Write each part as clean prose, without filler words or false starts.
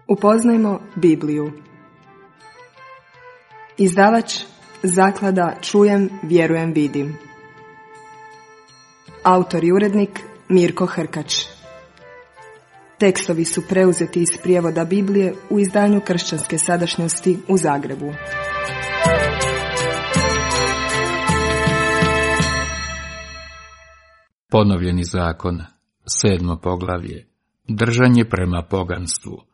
Upoznajmo Bibliju. Izdavač Zaklada Čujem, vjerujem, vidim. Autor i urednik Mirko Hrkač. Tekstovi su preuzeti iz prijevoda Biblije u izdanju Kršćanske sadašnjosti u Zagrebu. Ponovljeni zakon, 7. poglavlje. Držanje prema poganstvu.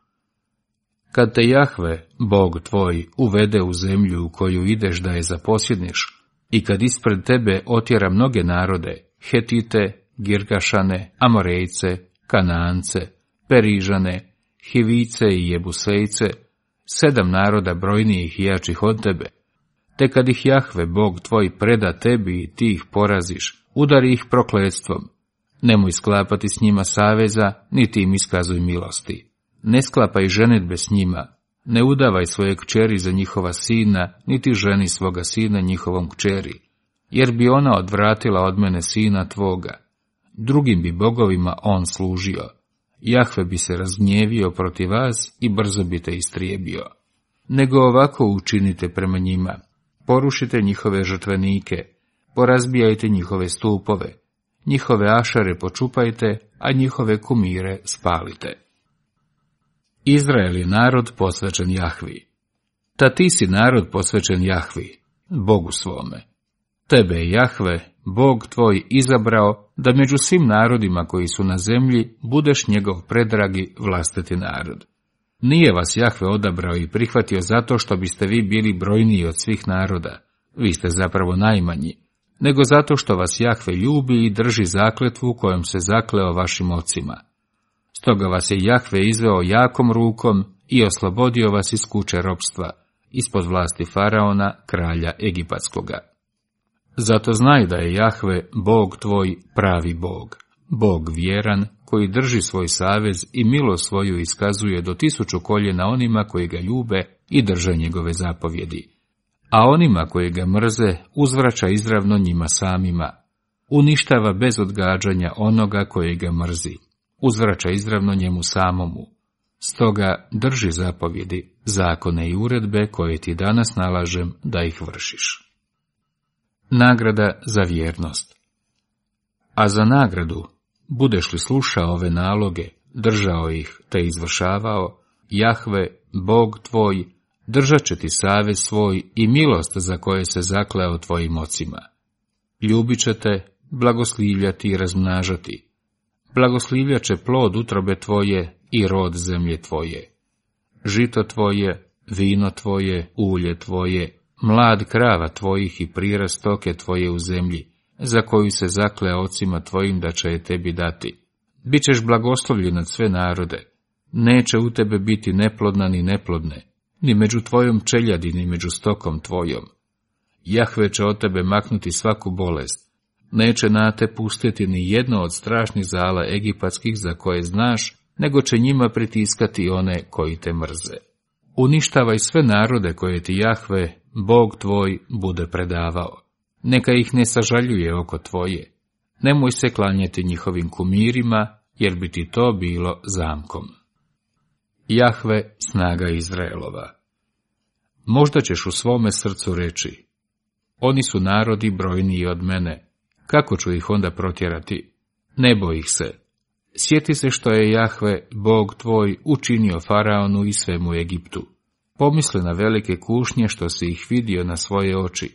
Kad te Jahve, Bog tvoj, uvede u zemlju u koju ideš da je zaposjedniš, i kad ispred tebe otjera mnoge narode, Hetite, Girgašane, Amorejce, Kanaance, Perižane, Hivice i Jebusejce, 7 naroda brojnijih i jačih od tebe, te kad ih Jahve, Bog tvoj, preda tebi i ti ih poraziš, udari ih prokletstvom. Nemoj sklapati s njima saveza, niti im iskazuj milosti. Ne sklapaj ženidbe s njima, ne udavaj svoje kćeri za njihova sina, niti ženi svoga sina njihovom kćeri, jer bi ona odvratila od mene sina tvoga. Drugim bi bogovima on služio. Jahve bi se razgnjevio protiv vas i brzo bi te istrijebio. Nego ovako učinite prema njima. Porušite njihove žrtvenike, porazbijajte njihove stupove, njihove ašare počupajte, a njihove kumire spalite. Izrael je narod posvećen Jahvi. Ta ti si narod posvećen Jahvi, Bogu svome. Tebe je Jahve, Bog tvoj, izabrao da među svim narodima koji su na zemlji budeš njegov predragi vlastiti narod. Nije vas Jahve odabrao i prihvatio zato što biste vi bili brojniji od svih naroda, vi ste zapravo najmanji, nego zato što vas Jahve ljubi i drži zakletvu kojom se zakleo vašim ocima. Stoga vas je Jahve izveo jakom rukom i oslobodio vas iz kuće ropstva, ispod vlasti Faraona, kralja Egipatskoga. Zato znaj da je Jahve, Bog tvoj, pravi Bog, Bog vjeran, koji drži svoj savez i milost svoju iskazuje do 1000 koljena onima koji ga ljube i drže njegove zapovjedi. A onima koji ga mrze uzvraća izravno njima samima. Uništava bez odgađanja onoga koji ga mrzi. Uzvraća izravno njemu samomu. Stoga drži zapovjedi, zakone i uredbe koje ti danas nalažem da ih vršiš. Nagrada za vjernost. A za nagradu, budeš li slušao ove naloge, držao ih te izvršavao, Jahve, Bog tvoj, držat će ti savez svoj i milost za koje se zakleo tvojim ocima. Ljubit će te, blagoslivljati i razmnažati. Blagoslivljat će plod utrobe tvoje i rod zemlje tvoje. Žito tvoje, vino tvoje, ulje tvoje, mlad krava tvojih i prirast stoke tvoje u zemlji, za koju se zakleo ocima tvojim da će je tebi dati. Bićeš blagoslovljen nad sve narode. Neće u tebe biti neplodna ni neplodne, ni među tvojom čeljadi, ni među stokom tvojom. Jahve će od tebe maknuti svaku bolest. Neće na te pustiti ni jedno od strašnih zala egipatskih za koje znaš, nego će njima pritiskati one koji te mrze. Uništavaj sve narode koje ti Jahve, Bog tvoj, bude predavao. Neka ih ne sažaljuje oko tvoje. Nemoj se klanjati njihovim kumirima, jer bi ti to bilo zamkom. Jahve, snaga Izraelova. Možda ćeš u svome srcu reći, oni su narodi brojniji od mene, kako ću ih onda protjerati? Ne boj ih se. Sjeti se što je Jahve, Bog tvoj, učinio Faraonu i svemu Egiptu. Pomisli na velike kušnje što si ih vidio na svoje oči,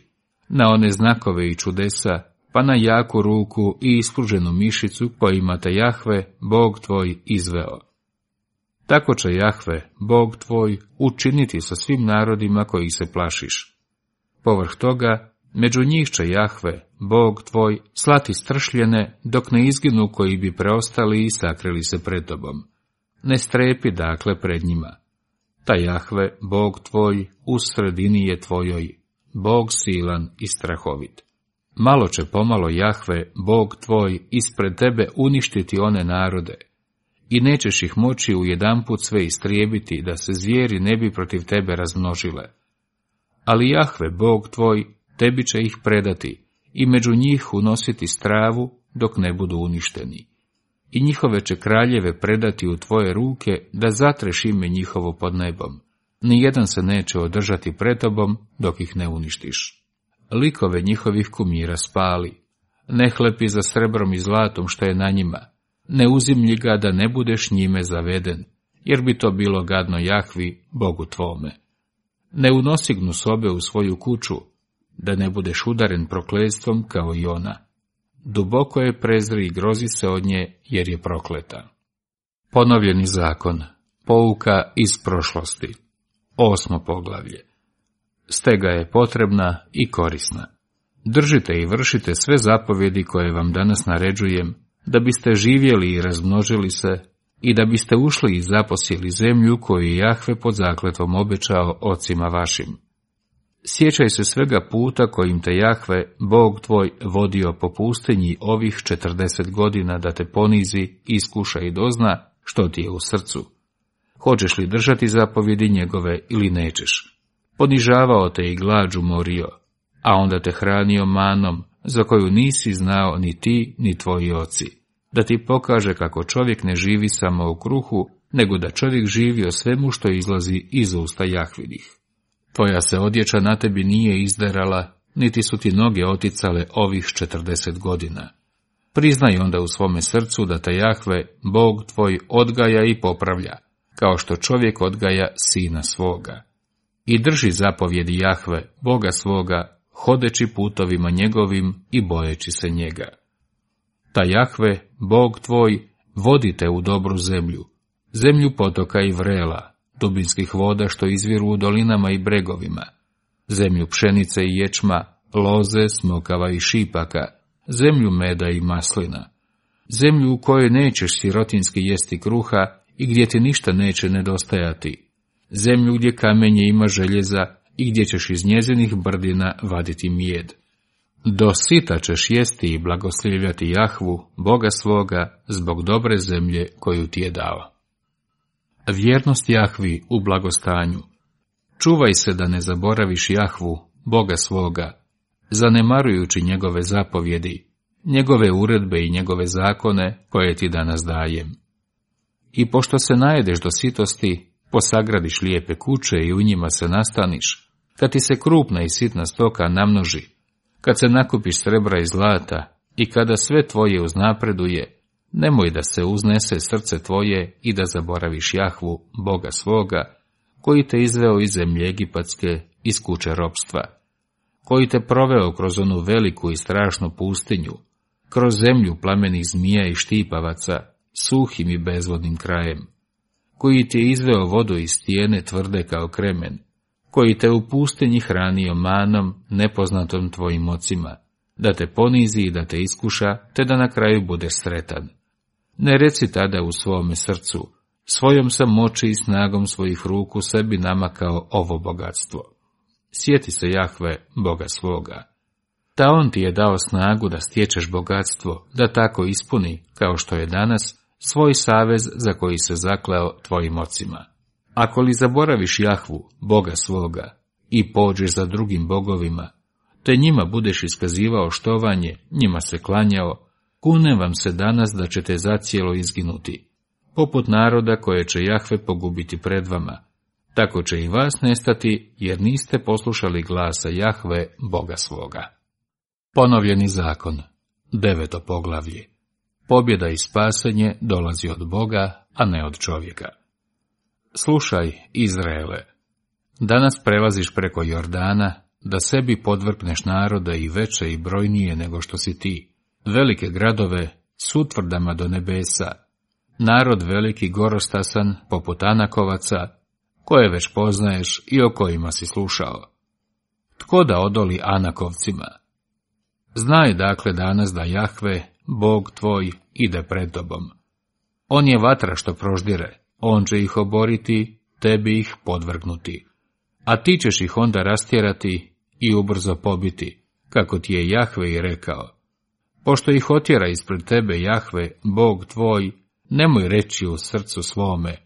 na one znakove i čudesa, pa na jaku ruku i ispruženu mišicu kojima te Jahve, Bog tvoj, izveo. Tako će Jahve, Bog tvoj, učiniti sa svim narodima kojih se plašiš. Povrh toga, među njih će Jahve, Bog tvoj, slati stršljene, dok ne izginu koji bi preostali i sakrili se pred tobom. Ne strepi dakle pred njima. Ta Jahve, Bog tvoj, u sredini je tvojoj, Bog silan i strahovit. Malo će pomalo Jahve, Bog tvoj, ispred tebe uništiti one narode, i nećeš ih moći ujedanput sve istrijebiti, da se zvijeri ne bi protiv tebe razmnožile. Ali Jahve, Bog tvoj, tebi će ih predati i među njih unositi stravu dok ne budu uništeni. i njihove će kraljeve predati u tvoje ruke da zatreš ime njihovo pod nebom. Nijedan se neće održati pred tobom dok ih ne uništiš. Likove njihovih kumira spali, ne hlepi za srebrom i zlatom što je na njima, ne uzimlji ga da ne budeš njime zaveden, jer bi to bilo gadno Jahvi, Bogu tvome. Ne unosi gnusobe u svoju kuću, da ne budeš udaren prokletstvom kao i ona. Duboko je prezri i grozi se od nje, jer je prokleta. Ponovljeni zakon, pouka iz prošlosti. 8. poglavlje. Stega je potrebna i korisna. Držite i vršite sve zapovjedi koje vam danas naređujem, da biste živjeli i razmnožili se, i da biste ušli i zaposjeli zemlju koju je Jahve pod zakletvom obećao ocima vašim. Sjećaj se svega puta kojim te Jahve, Bog tvoj, vodio po pustinji ovih 40 godina da te ponizi, iskuša i dozna što ti je u srcu. Hoćeš li držati zapovjedi njegove ili nećeš? Ponižavao te i glađu morio, a onda te hranio manom, za koju nisi znao ni ti, ni tvoji oci, da ti pokaže kako čovjek ne živi samo u kruhu, nego da čovjek živi o svemu što izlazi iz usta Jahvinih. Tvoja se odjeća na tebi nije izderala, niti su ti noge oticale ovih 40 godina. Priznaj onda u svome srcu da te Jahve, Bog tvoj, odgaja i popravlja, kao što čovjek odgaja sina svoga. I drži zapovjedi Jahve, Boga svoga, hodeći putovima njegovim i bojeći se njega. Ta Jahve, Bog tvoj, vodi te u dobru zemlju, zemlju potoka i vrela, dubinskih voda što izviru u dolinama i bregovima, zemlju pšenice i ječma, loze, smokava i šipaka, zemlju meda i maslina, zemlju u kojoj nećeš sirotinski jesti kruha i gdje ti ništa neće nedostajati, zemlju gdje kamenje ima željeza i gdje ćeš iz njezinih brdina vaditi mijed. Do sita ćeš jesti i blagoslivljati Jahvu, Boga svoga, zbog dobre zemlje koju ti je dao. Vjernost Jahvi u blagostanju. Čuvaj se da ne zaboraviš Jahvu, Boga svoga, zanemarujući njegove zapovjedi, njegove uredbe i njegove zakone koje ti danas dajem. I pošto se najedeš do sitosti, posagradiš lijepe kuće i u njima se nastaniš, kad ti se krupna i sitna stoka namnoži, kad se nakupiš srebra i zlata i kada sve tvoje uznapreduje, nemoj da se uznese srce tvoje i da zaboraviš Jahvu, Boga svoga, koji te izveo iz zemlje egipatske, iz kuće ropstva, koji te proveo kroz onu veliku i strašnu pustinju, kroz zemlju plamenih zmija i štipavaca, suhim i bezvodnim krajem, koji ti je izveo vodu iz stijene tvrde kao kremen, koji te u pustinji hranio manom nepoznatom tvojim ocima, da te ponizi i da te iskuša, te da na kraju budeš sretan. Ne reci tada u svome srcu, svojom sam moći i snagom svojih ruku sebi namakao ovo bogatstvo. Sjeti se Jahve, Boga svoga. Ta on ti je dao snagu da stječeš bogatstvo, da tako ispuni, kao što je danas, svoj savez za koji se zakleo tvojim ocima. Ako li zaboraviš Jahvu, Boga svoga, i pođeš za drugim bogovima, te njima budeš iskazivao štovanje, njima se klanjao, kunem vam se danas da ćete zacijelo izginuti, poput naroda koje će Jahve pogubiti pred vama. Tako će i vas nestati, jer niste poslušali glasa Jahve, Boga svoga. Ponovljeni zakon. 9. poglavlje. Pobjeda i spasenje dolazi od Boga, a ne od čovjeka. Slušaj, Izraele, danas prelaziš preko Jordana, da sebi podvrpneš narode i veće i brojnije nego što si ti, velike gradove s utvrdama do nebesa, narod veliki gorostasan poput Anakovaca, koje već poznaješ i o kojima si slušao. Tko da odoli Anakovcima? Znaj dakle danas da Jahve, Bog tvoj, ide pred tobom. On je vatra što proždire, on će ih oboriti, tebi ih podvrgnuti. A ti ćeš ih onda rastjerati i ubrzo pobiti, kako ti je Jahve i rekao. Pošto ih otjera ispred tebe Jahve, Bog tvoj, nemoj reći u srcu svome,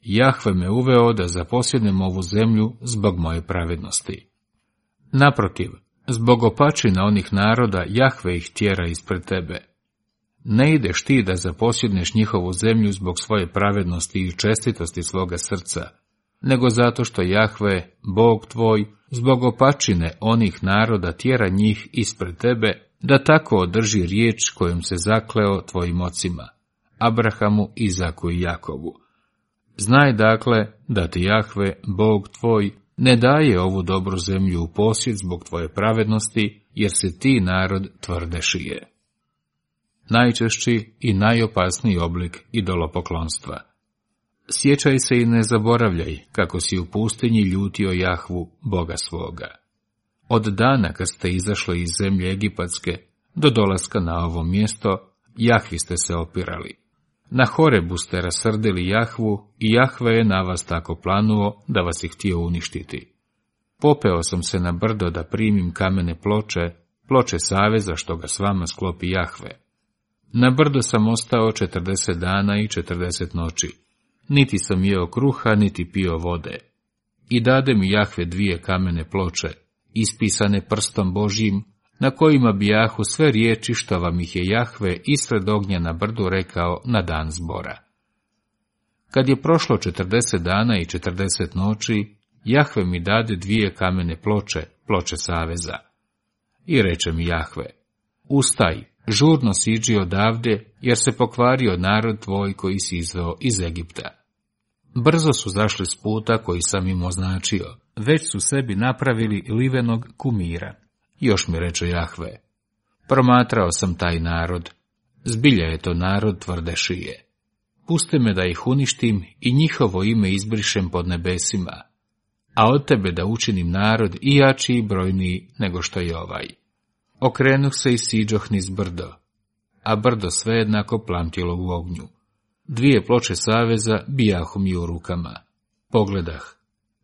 Jahve me uveo da zaposjednem ovu zemlju zbog moje pravednosti. Naprotiv, zbog opačina onih naroda Jahve ih tjera ispred tebe. Ne ideš ti da zaposjedneš njihovu zemlju zbog svoje pravednosti i čestitosti svoga srca, nego zato što Jahve, Bog tvoj, zbog opačine onih naroda tjera njih ispred tebe, da tako održi riječ kojom se zakleo tvojim ocima, Abrahamu, Izaku i Jakovu. Znaj dakle da ti Jahve, Bog tvoj, ne daje ovu dobru zemlju u posjed zbog tvoje pravednosti, jer se ti narod tvrde šije. Najčešći i najopasniji oblik idolopoklonstva. Sjećaj se i ne zaboravljaj kako si u pustinji ljutio Jahvu, Boga svoga. Od dana kad ste izašli iz zemlje Egipatske do dolaska na ovo mjesto, Jahvi ste se opirali. Na Horebu ste rasrdili Jahvu i Jahve je na vas tako planuo da vas je htio uništiti. Popeo sam se na brdo da primim kamene ploče saveza što ga s vama sklopi Jahve. Na brdo sam ostao 40 dana i 40 noći. Niti sam jeo kruha, niti pio vode. I dade mi Jahve 2 kamene ploče, ispisane prstom Božjim, na kojima bijahu sve riječi što vam ih je Jahve ispred ognja na brdu rekao na dan zbora. Kad je prošlo 40 dana i 40 noći, Jahve mi dade 2 kamene ploče saveza. I reče mi Jahve, ustaj, žurno siđi odavde, jer se pokvario narod tvoj koji si izveo iz Egipta. Brzo su zašli s puta koji sam im označio, već su sebi napravili livenog kumira. Još mi reče Jahve, promatrao sam taj narod, zbilja je to narod tvrde šije. Pusti me da ih uništim i njihovo ime izbrišem pod nebesima, a od tebe da učinim narod i jači i brojniji nego što je ovaj. Okrenuh se i siđoh niz brdo, a brdo sve jednako plamtilo u ognju. 2 ploče saveza bijahu mi u rukama. Pogledah,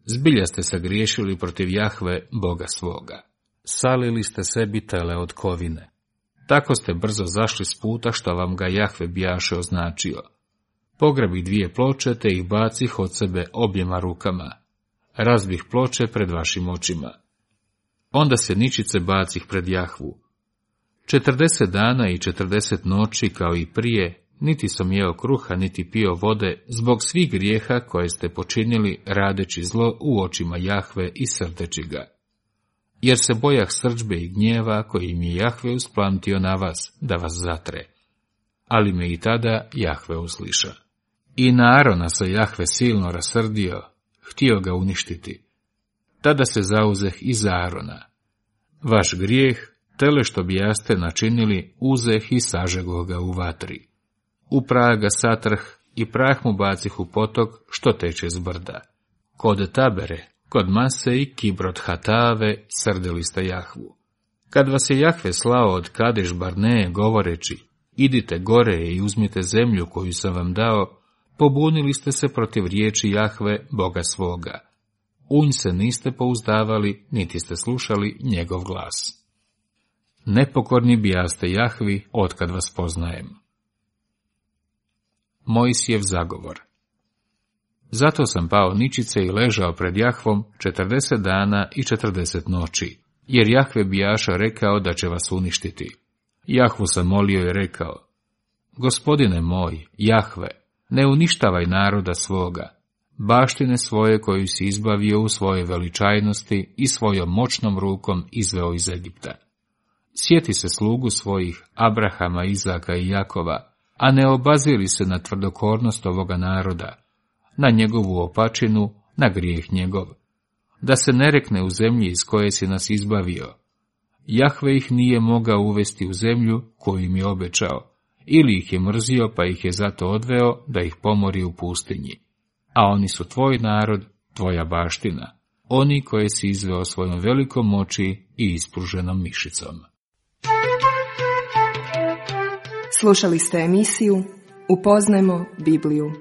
zbilja ste sagriješili protiv Jahve, Boga svoga. Salili ste sebi tele od kovine. Tako ste brzo zašli s puta što vam ga Jahve bijaše označio. Pograbi 2 ploče te ih bacih od sebe objema rukama. Razbih ploče pred vašim očima. Onda se ničice bacih pred Jahvu. 40 dana i 40 noći kao i prije, niti sam jeo kruha, niti pio vode, zbog svih grijeha koje ste počinili radeći zlo u očima Jahve i srdeći ga. Jer se bojah srdžbe i gnjeva koji mi je Jahve usplamtio na vas, da vas zatre. Ali me i tada Jahve usliša. I na Arona se Jahve silno rasrdio, htio ga uništiti. Tada se zauzeh i za Arona. Vaš grijeh, tele što bijaste načinili, uzeh i sažegoh ga u vatri. U prah ga satrh i prah mu bacih u potok što teče z brda. Kod Tabere, kod Mase i Kibrot Hatave srdili ste Jahvu. Kad vas je Jahve slao od Kadeš Barneje govoreći, idite gore i uzmite zemlju koju sam vam dao, pobunili ste se protiv riječi Jahve, Boga svoga. U nj se niste pouzdavali, niti ste slušali njegov glas. Nepokorni bijaste Jahvi, otkad vas poznajem. Mojsijev zagovor. Zato sam pao ničice i ležao pred Jahvom 40 dana i 40 noći, jer Jahve bijaša rekao da će vas uništiti. Jahvu sam molio i rekao, Gospodine moj, Jahve, ne uništavaj naroda svoga, baštine svoje koju si izbavio u svojoj veličajnosti i svojom moćnom rukom izveo iz Egipta. Sjeti se slugu svojih, Abrahama, Izaka i Jakova, a ne obaziri se na tvrdokornost ovoga naroda, na njegovu opačinu, na grijeh njegov, da se ne rekne u zemlji iz koje si nas izbavio. Jahve ih nije mogao uvesti u zemlju koju im je obećao, ili ih je mrzio pa ih je zato odveo da ih pomori u pustinji. A oni su tvoj narod, tvoja baština, oni koje si izveo svojom velikom moći i ispruženom mišicom. Slušali ste emisiju Upoznajmo Bibliju.